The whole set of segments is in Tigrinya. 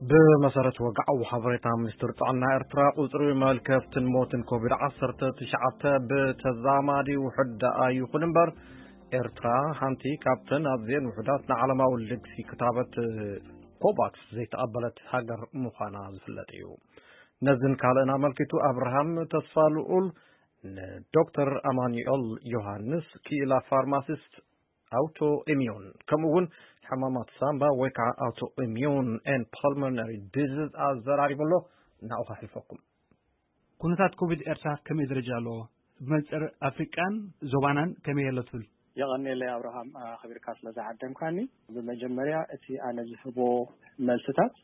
ብመሰረት ወግዓዊ ሓበሬታ ሚኒስትር ጥዕና ኤርትራ፣ ቁጽሪ መልከፍትን ሞትን ኮቪድ ዓሰርተ ትሽዓተ ብተዛማዲ ውሑድ ደኣ ይኹን እምበር፣ ኤርትራ ሓንቲ ካብተን ኣዝየን ውሑዳት ንዓለማዊ ልግሲ ክታበት ኮቫክስ ዘይተቐበለት ሃገር ምዃና ዝፍለጥ እዩ። ነዝን ካልእን ኣመልኪቱ፣ ኣብርሃም ተስፋ ልኡል ንዶክተር ኣማኑኤል ዮሃንስ፣ ክኢላ ፋርማሲስት ኣውቶ ኢሚዩን፣ ከምኡ እውን ሕማማት ሳምባ ወይ ከዓ ኣውቶ ኢሚዩን ኤን ፓልሞነሪ ዲዚዝ ኣዘራሪቡ ኣሎ። ናብኡ ከሕልፈኩም። ኩነታት ኮቪድ ኤርትራ ከመይ ደረጃ ኣለዎ? ብመንፅር ኣፍሪቃን ዞባናን ከመይ ኣሎ ትብል? የቐንየለይ ኣብርሃም፣ ኣኽቢርካ ስለ ዝዓደምካኒ። ብመጀመርያ እቲ ኣነ ዝህቦ መልስታት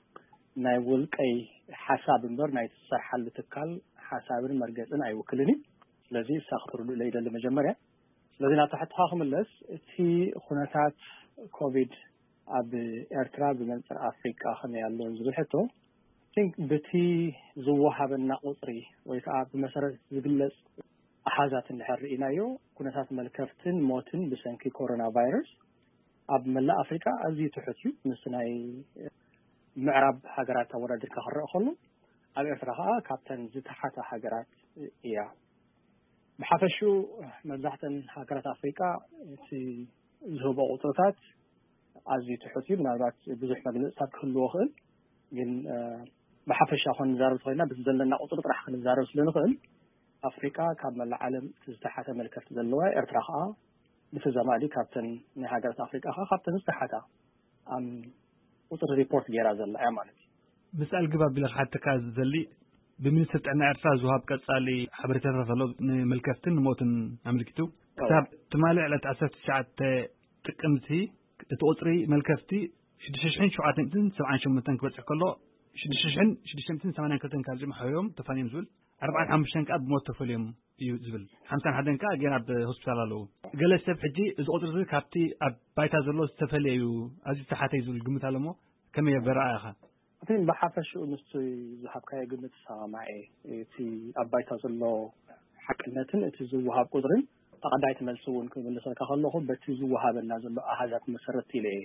ናይ ውልቀይ ሓሳብ እምበር ናይ ዝሰርሓሉ ትካል ሓሳብን መርገፅን ኣይውክልን እዩ። ስለዚ እሳ ክትርድኡለይ ይደሊ መጀመርያ። ስለዚ ናብቲ ሕቶኻ ክምለስ፣ እቲ ኩነታት ኮቪድ ኣብ ኤርትራ ብመንፅር ኣፍሪቃ ከመይ ኣሎ ዝብል ሕቶ፣ I think ብቲ ዝወሃበና ቁፅሪ ወይ ከዓ ብመሰረት ዝግለፅ ኣሃዛት እንድሕር ርኢናዮ፣ ኩነታት መልከፍትን ሞትን ብሰንኪ ኮሮና ቫይረስ ኣብ መላእ ኣፍሪቃ ኣዝዩ ትሑት እዩ። ምስ ናይ ምዕራብ ሃገራት ኣወዳዲርካ ክረአ ከሎ፣ ኣብ ኤርትራ ከዓ ካብተን ዝተሓታ ሃገራት እያ። ብሓፈሽኡ መብዛሕተን ሃገራት ኣፍሪቃ እቲ ዝህቦ ቁፅርታት ኣዝዩ ትሑት እዩ። ምናልባት ብዙሕ መግለፅታት ክህልዎ ይኽእል፣ ግን እ፣ ብሓፈሻ ኮን ንዛረብ ተኾይና፣ በቲ ዘለና ቁፅሪ ጥራሕ ክንዛረብ ስለ ንኽእል፣ ኣፍሪቃ ካብ መላእ ዓለም እቲ ዝተሓተ መልከፍቲ ዘለዋ፣ ኤርትራ ከዓ ብተዛማዲ ካብተን ናይ ሃገራት ኣፍሪቃ ከዓ ካብተን ዝተሓታ ኣብ ቁፅሪ ሪፖርት ገይራ ዘላ እያ ማለት እዩ። ምስ ኣልግብ ኣቢለ ክሓተካ ዝደሊ፣ ብሚኒስትሪ ጥዕና ኤርትራ ዝወሃብ ቀጻሊ ሓበሬታታት ኣሎ፣ ንመልከፍትን ንሞትን ኣመልኪቱ። ክሳብ ትማሊ ዕለት ዓሰርተ ትሽዓተ ጥቅምቲ እቲ ቁጽሪ መልከፍቲ ሽዱሽተ ሽሕን ሸውዓተ ሚእትን ሰብዓን ሸሞንተን ክበጽሕ ከሎ፣ ሽዱሽተ ሽሕን ሽዱሽተ ሚእትን ሰማንያን ክልተን ካብ ጅምዓ ሕዮም ተፋንዮም ዝብል፣ ኣርባዓን ሓሙሽተን ከኣ ብሞት ተፈልዮም እዩ ዝብል፣ ሓምሳን ሓደን ከኣ ገና ኣብ ሆስፒታል ኣለዉ። ገለ ሰብ ሕጂ እዚ ቁጽሪ እዚ ካብቲ ኣብ ባይታ ዘሎ ዝተፈልየ እዩ፣ ኣዝዩ ዝተሓተ እዩ ዝብል ግምት ኣሎ እሞ ከመይ የበረኣእኻ? እቲ ብሓፈሽኡ ምስቲ ዝሃብካዮ ግምት ይሰማማዕ እየ። እቲ ኣብ ባይታ ዘሎ ሓቅነትን እቲ ዝወሃብ ቁጽርን ተቐዳይቲ መልሲ እውን ክምልሰልካ ከለኹ በቲ ዝወሃበና ዘሎ ኣሃዛት መሰረት ኢለ እየ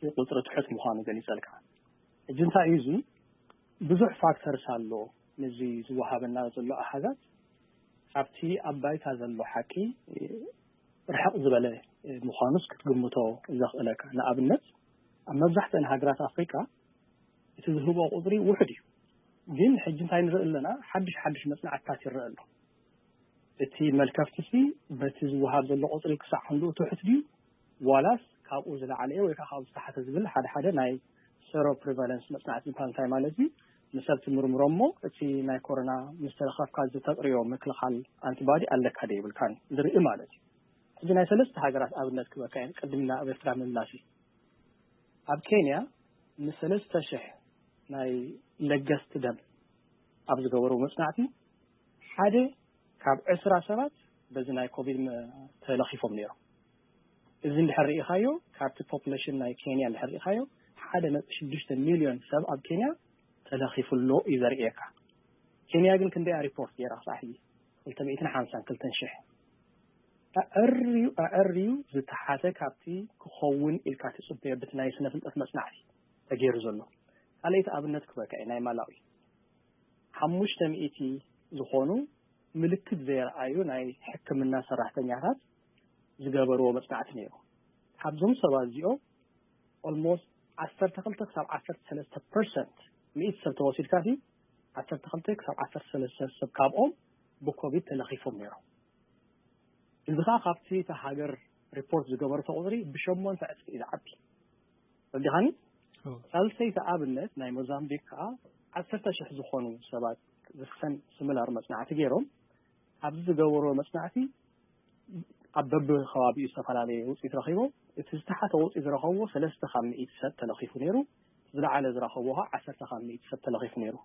እቲ ቁጽሪ ትሑት ምዃኑ ገሊጸልካ። ሕጂ እንታይ እዩ እዚ? ብዙሕ ፋክተርስ ኣሎ ነዚ ዝወሃበና ዘሎ ኣሃዛት ካብቲ ኣብ ባይታ ዘሎ ሓቂ ርሕቕ ዝበለ ምዃኑስ ክትግምቶ ዘኽእለካ። ንኣብነት ኣብ መብዛሕትአን ሃገራት ኣፍሪቃ እቲ ዝህቦ ቁጽሪ ውሑድ እዩ። ግን ሕጂ እንታይ ንርኢ ኣለና? ሓድሽ ሓድሽ መጽናዕትታት ይረአ ኣሎ። እቲ መልከፍትሲ በቲ ዝወሃብ ዘሎ ቁጽሪ ክሳዕ ክንድኡ ትሑት ድዩ? ዋላስ ካብኡ ዝለዓለ እዩ ወይ ከዓ ካብኡ ዝተሓተ ዝብል ሓደ ሓደ ናይ ሴሮ ፕሪቫለንስ መጽናዕቲ ዝበሃል እንታይ ማለት እዩ? ንሰብ ትምርምሮ እሞ እቲ ናይ ኮሮና ምስ ተለኸፍካ ዝተጥርዮ ምክልኻል ኣንቲባዲ ኣለካ ዶ የብልካን ዝርኢ ማለት እዩ። ሕጂ ናይ ሰለስተ ሃገራት ኣብነት ክበካ እየ ቅድሚ ናብ ኤርትራ ምምላሲ። ኣብ ኬንያ ንሰለስተ ሽሕ ናይ ለገስቲ ደም ኣብ ዝገበሩ መጽናዕቲ ሓደ ካብ ዕስራ ሰባት በዚ ናይ ኮቪድ መ-፣ ተለኺፎም ነይሮም። እዚ እንድሕር ርኢኻዮ፣ ካብቲ ፖፑሌሽን ናይ ኬንያ እንድሕር ርኢኻዮ፣ ሓደ ነጥቢ ሽዱሽተ ሚልዮን ሰብ ኣብ ኬንያ ተለኺፉ ኣሎ እዩ ዘርእየካ። ኬንያ ግን ክንደይ ሪፖርት ገይራ ክሳዕ ሕጂ? ክልተ ሚእትን ሓምሳን ክልተን ሽሕ። ኣዐርዩ፣ ኣዐርዩ ዝተሓተ ካብቲ ክኸውን ኢልካ ትጽበዮ በቲ ናይ ስነ ፍልጠት መጽናዕቲ ተገይሩ ዘሎ። ካልኣይቲ ኣብነት ክበካ እየ፣ ናይ ማላዊ። ሓሙሽተ ሚእቲ ዝኾኑ ምልክት ዘየርኣዩ ናይ ሕክምና ሰራሕተኛታት ዝገበርዎ መጽናዕቲ ነይሩ። ካብዞም ሰባት እዚኦም ኦልሞስት ዓሰርተ ክልተ ክሳብ ዓሰርተ ሰለስተ ፐርሰንት፣ ሚእቲ ሰብ ተወሲድካ ሲ፣ ዓሰርተ ክልተ ክሳብ ዓሰርተ ሰለስተ ሰብ ካብኦም ብኮቪድ ተለኺፎም ነይሮም። እዚ ኸዓ ካብቲ እታ ሃገር ሪፖርት ዝገበረቶ ቁጽሪ ብሸሞንተ ዕጽፊ እዩ ዝዓቢ። ረዲኻኒ? እዎ። ሳልሰይቲ ኣብነት ናይ ሞዛምቢክ ከኣ ዓሰርተ ሽሕ ዝኾኑ ሰባት ዝኽሰን ስሚላር መጽናዕቲ ገይሮም፣ ኣብዚ ዝገበርዎ መጽናዕቲ ኣብ በብኸባቢኡ ዝተፈላለየ ውጽኢት ረኺቦም። እቲ ዝተሓተ ውጽኢት ዝረኸብዎ ሰለስተ ካብ ሚእቲ ሰብ ተለኺፉ ነይሩ። ዝለዓለ ዝረኸብዎ ኸዓ ዓሰርተ ካብ ሚእቲ ሰብ ተለኺፉ ነይሩ።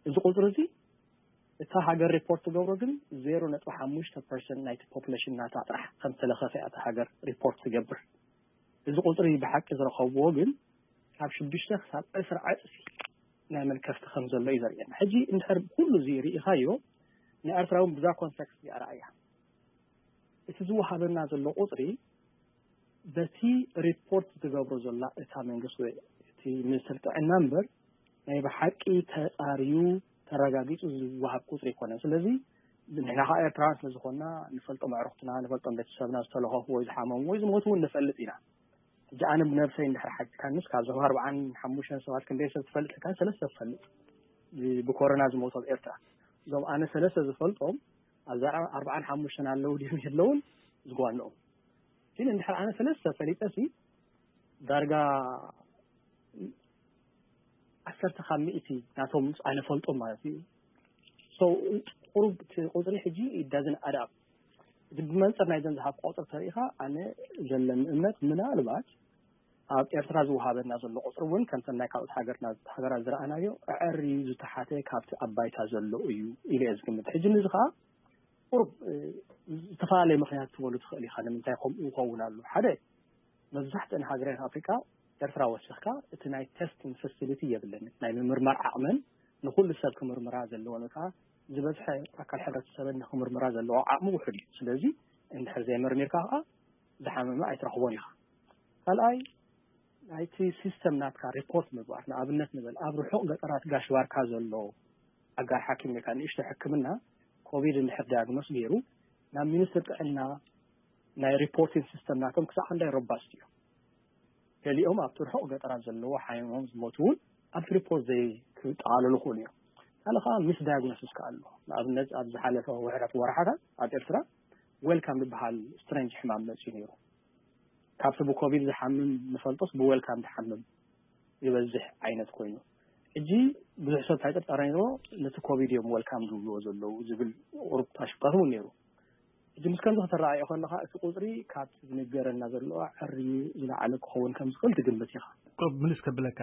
እዚ ቁጽሪ እዚ እታ ሃገር ሪፖርት ትገብሮ ግን ዜሮ ነጥቢ ሓሙሽተ ፐርሰንት ናይቲ ፖፑሌሽን ናታ ጥራሕ ከም ዝተለኸፈ እያ እታ ሃገር ሪፖርት ትገብር። እዚ ቁጽሪ ብሓቂ ዝረኸብዎ ግን ካብ ሽዱሽተ ክሳብ ዕስራ ዕጽፊ ናይ መልከፍቲ ከም ዘሎ እዩ ዘርእየና። ሕጂ እንድሕር ኩሉ እዚ ርኢኻዮ፣ ንኤርትራ እውን ብዛ ኮንቴክስት እያ ረኣያ። እቲ ዝወሃበና ዘሎ ቁጽሪ በቲ ሪፖርት ትገብሮ ዘላ እታ መንግስቲ ወይ እቲ ሚኒስትሪ ጥዕና እምበር ናይ ብሓቂ ተጻርዩ ተረጋጊጹ ዝወሃብ ቁጽሪ ኣይኮነን። ስለዚ ንሕና ከዓ ኤርትራውያን ስለ ዝኾንና ንፈልጦም ኣዕሩኽትና፣ ንፈልጦም ቤተሰብና ዝተለኸፉ ወይ ዝሓመሙ ወይ ዝሞቱ እውን ንፈልጥ ኢና። ሕጂ ኣነ ብነብሰይ እንድሕር ሓቲትካንስ ካብዞም ኣርብዓን ሓሙሽተን ሰባት ክንደይ ሰብ ትፈልጥ ኢልካ? ሰለስተ ትፈልጥ ብ- ብኮሮና ዝሞቱ ኣብ ኤርትራ። እዞም ኣነ ሰለስተ ዝፈልጦም ኣብዛ ኣርብዓን ሓሙሽተን ኣለዉ ድዮም የለውን ዝጓንኦም። ግን እንድሕር ኣነ ሰለስተ ፈሊጠሲ ዳርጋ ዓሰርተ ካብ ሚእቲ ናቶም ኣነ ፈልጦም ማለት እዩ። So ቁሩብ እቲ ቁፅሪ ሕጂ it doesn't add up። እዚ ብመንፅር ናይ ዘን ዝሃብ ቆፅሪ ተሪኢኻ ኣነ ዘለኒ እምነት ምናልባት ኣብ ኤርትራ ዝወሃበና ዘሎ ቁፅሪ እውን ከምተን ናይ ካልኦት ሃገርና ሃገራት ዝረኣናዮ ኣዕሪ ዝተሓተ ካብቲ ኣብ ባይታ ዘሎ እዩ ኢለ እየ ዝግምት። ሕጂ ንዚ ከዓ ቁሩብ እ፣ ዝተፈላለየ ምክንያት ትበሉ ትኽእል ኢኻ ንምንታይ ከምኡ ይኸውን ኣሎ። ሓደ መብዛሕትአን ሃገራት ኣፍሪቃ ኤርትራ ወሲኽካ እቲ ናይ testing facility የብለን። ናይ ምምርማር ዓቕመን ንኹሉ ሰብ ክምርምራ ዘለወን ወይ ከዓ ዝበዝሐ ኣካል ሕብረተሰበን ንክምርምራ ዘለዎ ዓቕሚ ውሑድ እዩ። ስለዚ እንድሕር ዘይመርሚርካ ከዓ ዝሓመመ ኣይትረኽቦን ኢኻ። ካልኣይ ናይቲ ሲስተም ናትካ ሪፖርት ምግባር፣ ንኣብነት ንበል ኣብ ርሑቕ ገጠራት ጋሽ ባርካ ዘሎ ኣጋር ሓኪም ወይ ከዓ ንእሽቶ ሕክምና ኮቪድ እንድሕር ዳያግኖስ ገይሩ ናብ ሚኒስትር ጥዕና ናይ ሪፖርቲንግ ሲስተም ናቶም ክሳዕ ክንዳይ ሮባስት እዩ። ገሊኦም ኣብቲ ርሑቕ ገጠራት ዘለዎ ሓሚሞም ዝሞቱ እውን ኣብቲ ሪፖርት ዘይክጠቓለሉ ክእሉ እዮም። ካልእ ከዓ ሚስ ዳያግኖሲስ ከዓ ኣሎ። ንኣብነት ኣብ ዝሓለፈ ውሕዳት ወርሓታት ኣብ ኤርትራ ዌልካም ዝበሃል ስትሬንጅ ሕማም መፅዩ ነይሩ። ካብቲ ብኮቪድ ዝሓምም ንፈልጦስ ብዌልካም ዝሓምም ይበዝሕ ዓይነት ኮይኑ ሕጂ ብዙሕ ሰብ እንታይ ጥርጣረ ነይርዎ ነቲ ኮቪድ እዮም ዌልካም ዝብልዎ ዘለዉ ዝብል ቁሩብ ኣሽብጣት እውን ነይሩ። ሕጂ ምስ ከምዚ ከተረኣዮ ከለካ እቲ ቁፅሪ ካብቲ ዝንገረና ዘሎ ዕርዩ ዝለዓለ ክኸውን ከም ዝኽእል ትግምት ኢኻ። ቁሩብ ምልስ ከብለካ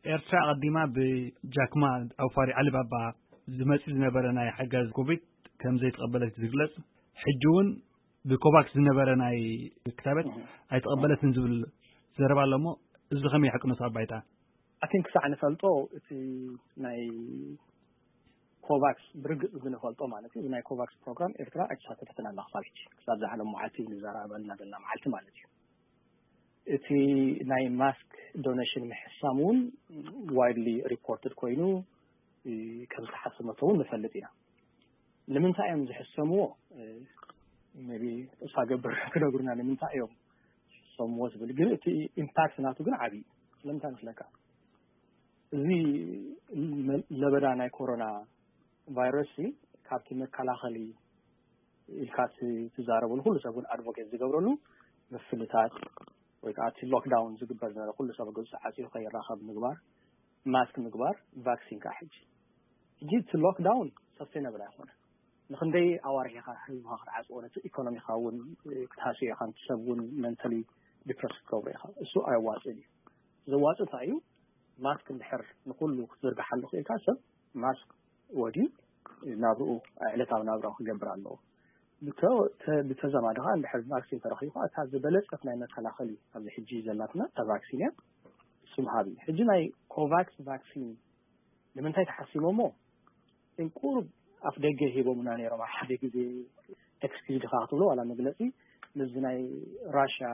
ኤርትራ ኣቐዲማ ብጃክማ ኣውፋሪ ዓሊባባ ዝመፅእ ዝነበረ ናይ ሓጋዝ ኮቪድ ከም ዘይተቐበለት ዝግለጽ ሕጂ እውን ብኮቫክስ ዝነበረ ናይ ክታበት ኣይተቐበለትን ዝብል ዘረባ ኣሎ እሞ እዚ ከመይ ይሓቅኖ ኣብ ባይታ? ኣቲን ክሳዕ ንፈልጦ እቲ ናይ ኮቫክስ ብርግጽ ዝንፈልጦ ማለት እዩ ናይ ኮቫክስ ፕሮግራም ኤርትራ ኣይተሳተፈትን ኣላ ክሳብ ሕጂ ክሳብ ዝሓሎም መዓልቲ ንዘራረበልና ዘለና መዓልቲ ማለት እዩ። እቲ ናይ ማስክ ዶኔሽን ምሕሳም እውን ዋይድሊ ሪፖርትድ ኮይኑ ከም ዝተሓሰመቶ እውን ንፈልጥ ኢና። ንምንታይ እዮም ዝሕሰምዎ? ቢ ተስፋ ገብር ክነግሩና ንምንታይ እዮም ዝሰምዎ ዝብል ግን እቲ ኢምፓክት ናቱ ግን ዓብዪ ስለምንታይ መስለካ? እዚ ለበዳ ናይ ኮሮና ቫይረስ ካብቲ መከላኸሊ ኢልካ ትዛረበሉ ኩሉ ሰብ እውን ኣድቮኬት ዝገብረሉ ምፍልታት ወይ ከዓ እቲ ሎክዳውን ዝግበር ዝነበረ ኩሉ ሰብ ገጹ ተዓፂዩ ከይራኸብ ምግባር ማስክ ምግባር ቫክሲን ከዓ ሕጂ ሕጂ እቲ ሎክዳውን ሰስቴነብል ኣይኮነን። ንክንደይ ኣዋርሕ ኢኻ ህዝብኻ ክትዓፅዎ ነቲ ኢኮኖሚኻ እውን ክትሃስዮ ኢኻ ነቲ ሰብ እውን መንተሊ ዲፕረስ ክትገብሮ ኢኻ። እሱ ኣየዋፅእን እዩ። ዘዋፅእ እንታይ እዩ? ማስክ እንድሕር ንኩሉ ክትዝርግሓሉ ክኢልካ ሰብ ማስክ ወድዩ ናብርኡ ዕለታዊ ናብራኡ ክገብር ኣለዎ። ብተዘማዲ ከዓ እንድሕር ቫክሲን ተረኪቡ ከዓ እታ ዝበለፀት ናይ መከላኸሊ ኣብዚ ሕጂ ዘላትና እታ ቫክሲን እያ። እሱ ምሃብ እዩ። ሕጂ ናይ ኮቫክስ ቫክሲን ንምንታይ ተሓሲቦሞ? ቁሩብ ኣፍ ደገ ሂቦምና ነይሮም ኣብ ሓደ ግዜ ኤክስኪዝ ድካ ክትብሎ ዋላ መግለፂ ምስዚ ናይ ራሽያ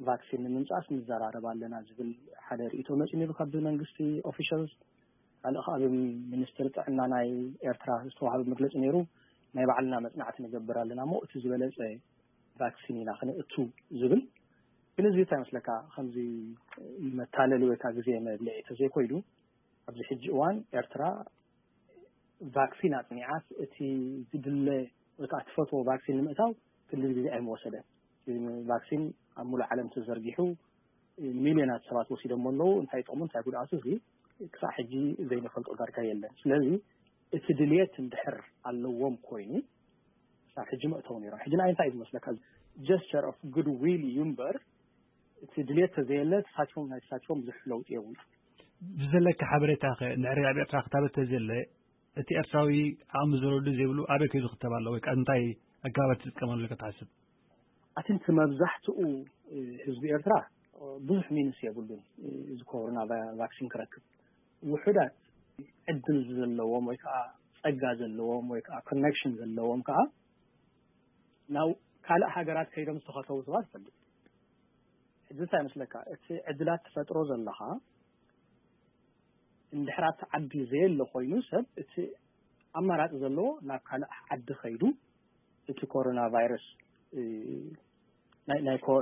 ቫክሲን ንምምፃእስ ንዘራረብ ኣለና ዝብል ሓደ ርእቶ መፂ ነይሩ ካብ መንግስቲ ኦፊሻልስ ካልእ ከዓ ብሚኒስትሪ ጥዕና ናይ ኤርትራ ዝተዋሃበ መግለፂ ነይሩ ናይ ባዕልና መፅናዕቲ ንገብር ኣለና እሞ እቲ ዝበለፀ ቫክሲን ኢና ክነእቱ ዝብል ግን እዚ እንታይ መስለካ ከምዚ መታለሊ ወይ ከዓ ግዜ መብልዒ ተዘይኮይኑ ኣብዚ ሕጂ እዋን ኤርትራ ቫክሲን ኣፅኒዓስ እቲ ዝድለ ወይ ከዓ ትፈትዎ ቫክሲን ንምእታው ክንዲ ግዜ ኣይምወሰደን። ቫክሲን ኣብ ሙሉእ ዓለም ተዘርጊሑ ሚልዮናት ሰባት ወሲዶሞ ኣለዉ። እንታይ ጥቕሙ እንታይ ጉድኣቱ እዚ ክሳዕ ሕጂ ዘይንፈልጦ ዳርጋ የለን። ስለዚ እቲ ድልየት እንድሕር ኣለዎም ኮይኑ ክሳብ ሕጂ መእተው ነይሮም። ሕጂ ንኣይ እንታይ እዩ ዝመስለካ ጀስቸር ኦፍ ጉድ ዊል እዩ እምበር እቲ ድልየት ተዘየለ ተሳትፎም ናይ ተሳትፎም ብዙሕ ለውጢ የብሉ። ብዘለካ ሓበሬታ ከ ንዕሪ ኣብ ኤርትራ ክታበት ተዘየለ እቲ ኤርትራዊ ዓቕሚ ዝረዱ ዘይብሉ ኣበይ ከይዱ ክተብ ኣሎ ወይ ከዓ እንታይ ኣገባባት ትጥቀመሉ ኢልካ ትሓስብ? ኣቲ እቲ መብዛሕትኡ ህዝቢ ኤርትራ ብዙሕ ሚንስ የብሉን እዚ ኮሮና ቫክሲን ክረክብ። ውሑዳት ዕድል ዘለዎም ወይ ከዓ ፀጋ ዘለዎም ወይ ከዓ ኮኔክሽን ዘለዎም ከዓ ናብ ካልእ ሃገራት ከይዶም ዝተኸተቡ ሰባት ይፈልጥ። ሕጂ እንታይ መስለካ እቲ ዕድላት ትፈጥሮ ዘለኻ እንድሕር ኣብቲ ዓዲ ዘየለ ኮይኑ ሰብ እቲ ኣማራፂ ዘለዎ ናብ ካልእ ዓዲ ከይዱ እቲ ኮሮና ቫይረስ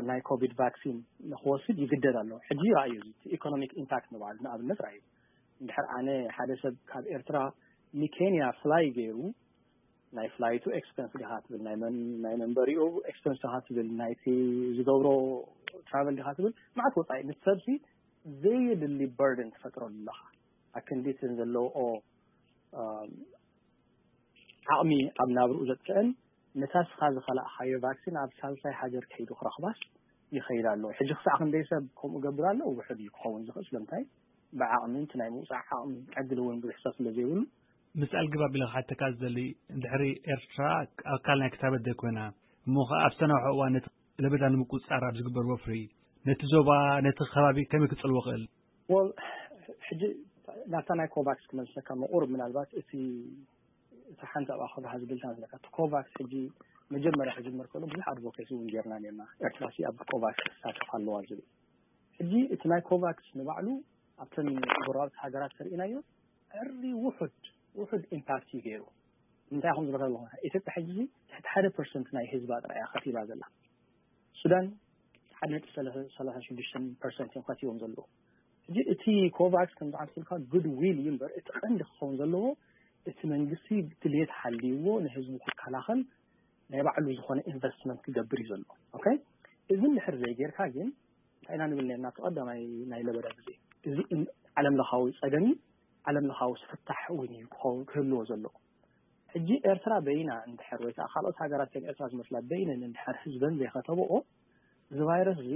ናይ ኮቪድ ቫክሲን ንክወስድ ይግደድ ኣሎ። ሕጂ ራእዩ ኢኮኖሚክ ኢምፓክት ንባዕሉ ንኣብነት ራእዩ እንድሕር ኣነ ሓደ ሰብ ካብ ኤርትራ ንኬንያ ፍላይ ገይሩ ናይ ፍላይቱ ኤክስፐንስ ዲኻ ትብል ናይ መንበሪኡ ኤክስፐንስ ዲኻ ትብል ናይቲ ዝገብሮ ትራቨል ዲኻ ትብል ማዕት ወፃኢ ምስ ሰብሲ ዘየድሊ በርደን ትፈጥረሉ ኣለኻ። ኣክንዲትን ዘለውኦ ዓቕሚ ኣብ ናብርኡ ዘጥፍአን ነታ ስኻ ዝኸላእኻዮ ቫክሲን ኣብ ሳልሳይ ሃገር ከይዱ ክረኽባስ ይኸይድ ኣሎ። ሕጂ ክሳዕ ክንደይ ሰብ ከምኡ ገብር ኣሎ ውሕድ እዩ ክኸውን ዝኽእል ስለምንታይ ብዓቕሚ እቲ ናይ ምውፃእ ዓቕሚ ዕድል እውን ብዙሕ ሰብ ስለ ዘይብሉ። ምስ ኣልግብ ኣቢለ ክሓተካ ዝደሊ እንድሕሪ ኤርትራ ኣካል ናይ ክታበት ዘይኮይና እሞ ከዓ ኣብ ዝተናውሐ እዋን ነቲ ለበዳ ንምቁፅፃር ኣብ ዝግበር ወፍሪ ነቲ ዞባ ነቲ ከባቢ ከመይ ክፅልዎ ክእል? ወል ሕጂ ናብታ ናይ ኮቫክስ ክመልሰካ ምቑር ምናልባት እቲ እቲ ሓንቲ ኣብኣ ከብርሃ ዝብል ዝነካ እቲ ኮቫክስ ሕጂ መጀመርያ ክጅመር ከሎ ብዙሕ ኣድቮኬሲ እውን ጌርና ኔርና ኤርትራ ሲ ኣብ ኮቫክስ ክሳተፍ ኣለዋ ዝብል ሕጂ እቲ ናይ ኮቫክስ ንባዕሉ ኣብተን ጎረባብቲ ሃገራት ተርእናዮ ዕሪ ውሑድ ውሑድ ኢምፓክት እዩ ገይሩ እንታይ ኹም ዝበካ ኣለኹ ኢትዮጵያ ሕጂ ትሕቲ ሓደ ፐርሰንት ናይ ህዝባ ጥራያ ከቲባ ዘላ ሱዳን ሓደ ነጥቢ ሰላሳ ሽዱሽተ ፐርሰንት እዮም ከቲቦም ዘለዉ ሕጂ እቲ ኮቫክስ ከም ዝሓስብልካ ጉድ ዊል እዩ እምበር እቲ ቀንዲ ክኸውን ዘለዎ እቲ መንግስቲ ድልየት ሓልይዎ ንህዝቡ ክከላኸል ናይ ባዕሉ ዝኾነ ኢንቨስትመንት ክገብር እዩ ዘሎ ኦኬ እዚ እንድሕር ዘይጌርካ ግን እንታይ ኢና ንብል ነርና እቲ ቀዳማይ ናይ ለበዳ ግዜ እዚ ዓለም ለኻዊ ፀገም እዩ ዓለም ለኻዊ ፍታሕ እውን እዩ ክኸውን ክህልዎ ዘለዎ ሕጂ ኤርትራ በይና እንድሕር ወይ ከዓ ካልኦት ሃገራት ከም ኤርትራ ዝመስላ በይነን እንድሕር ህዝበን ዘይከተብኦ እዚ ቫይረስ እዚ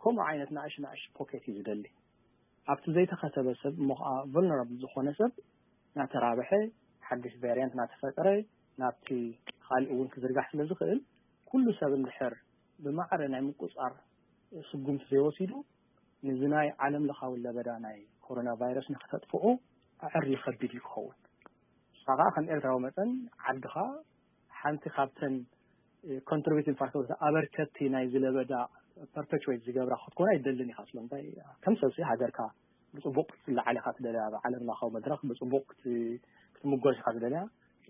ከምኡ ዓይነት ንእሽ ንእሽ ፖኬት እዩ ዝደሊ ኣብቲ ዘይተኸተበ ሰብ እሞ ከዓ ቨልነራብል ዝኾነ ሰብ ናተራብሐ ሓድሽ ቫሪያንት ናተፈጠረ ናብቲ ካልእ እውን ክዝርጋሕ ስለ ዝኽእል ኩሉ ሰብ እንድሕር ብማዕረ ናይ ምቁፃር ስጉምቲ ዘይወሲዱ ንዚ ናይ ዓለም ለኻዊ ለበዳ ናይ ኮሮና ቫይረስ ንክተጥፍኦ ኣዕሪ ከቢድ እዩ ክኸውን ንስኻ ከዓ ከም ኤርትራዊ መጠን ዓድኻ ሓንቲ ካብተን ኮንትሪቢቲንግ ፋክተር ኣበርከቲ ናይ ዝለበዳ ፐርፔቹዌት ዝገብራ ክትኮን ኣይደልን ኢኻ ስለምንታይ ከም ሰብሲ ሃገርካ ብፅቡቅ ክትለዓል ኢኻ ትደልያ ኣብ ዓለም ለኻዊ መድረክ ብፅቡቅ ክትምጎስ ኢኻ ትደልያ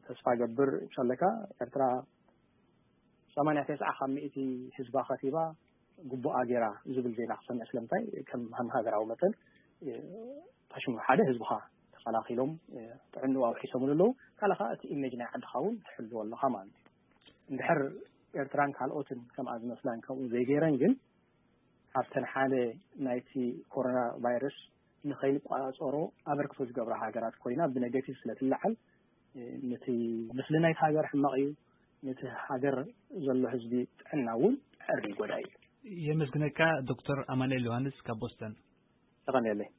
ተስፋ ገብር እንሻለካ ኤርትራ ሰማንያ ተስዓ ካብ ሚእቲ ህዝባ ከቲባ ግቡኣ ገይራ ዝብል ዜና ክሰምዕ ስለምንታይ ከም ሃገራዊ መጠን ታሽሙ ሓደ ህዝብኻ ተኸላኺሎም ጥዕንኡ ኣውሒሶምሉ ኣለዉ ካልእ ከዓ እቲ ኢሜጅ ናይ ዓድኻ እውን ትሕልዎ ኣለኻ ማለት እዩ እንድሕር ኤርትራን ካልኦትን ከምኣ ዝመስላን ከምኡ ዘይገይረን ግን ካብተን ሓደ ናይቲ ኮሮና ቫይረስ ንኸይንቋፃፀሮ ኣበርክቶ ዝገብራ ሃገራት ኮይና ብነገቲቭ ስለትለዓል ነቲ ምስሊ ናይቲ ሃገር ሕማቕ እዩ ነቲ ሃገር ዘሎ ህዝቢ ጥዕና እውን ዕር ይጎዳ እዩ የመስግነካ ዶክተር ኣማኑኤል ዮሃንስ ካብ ቦስተን ተቐንየለይ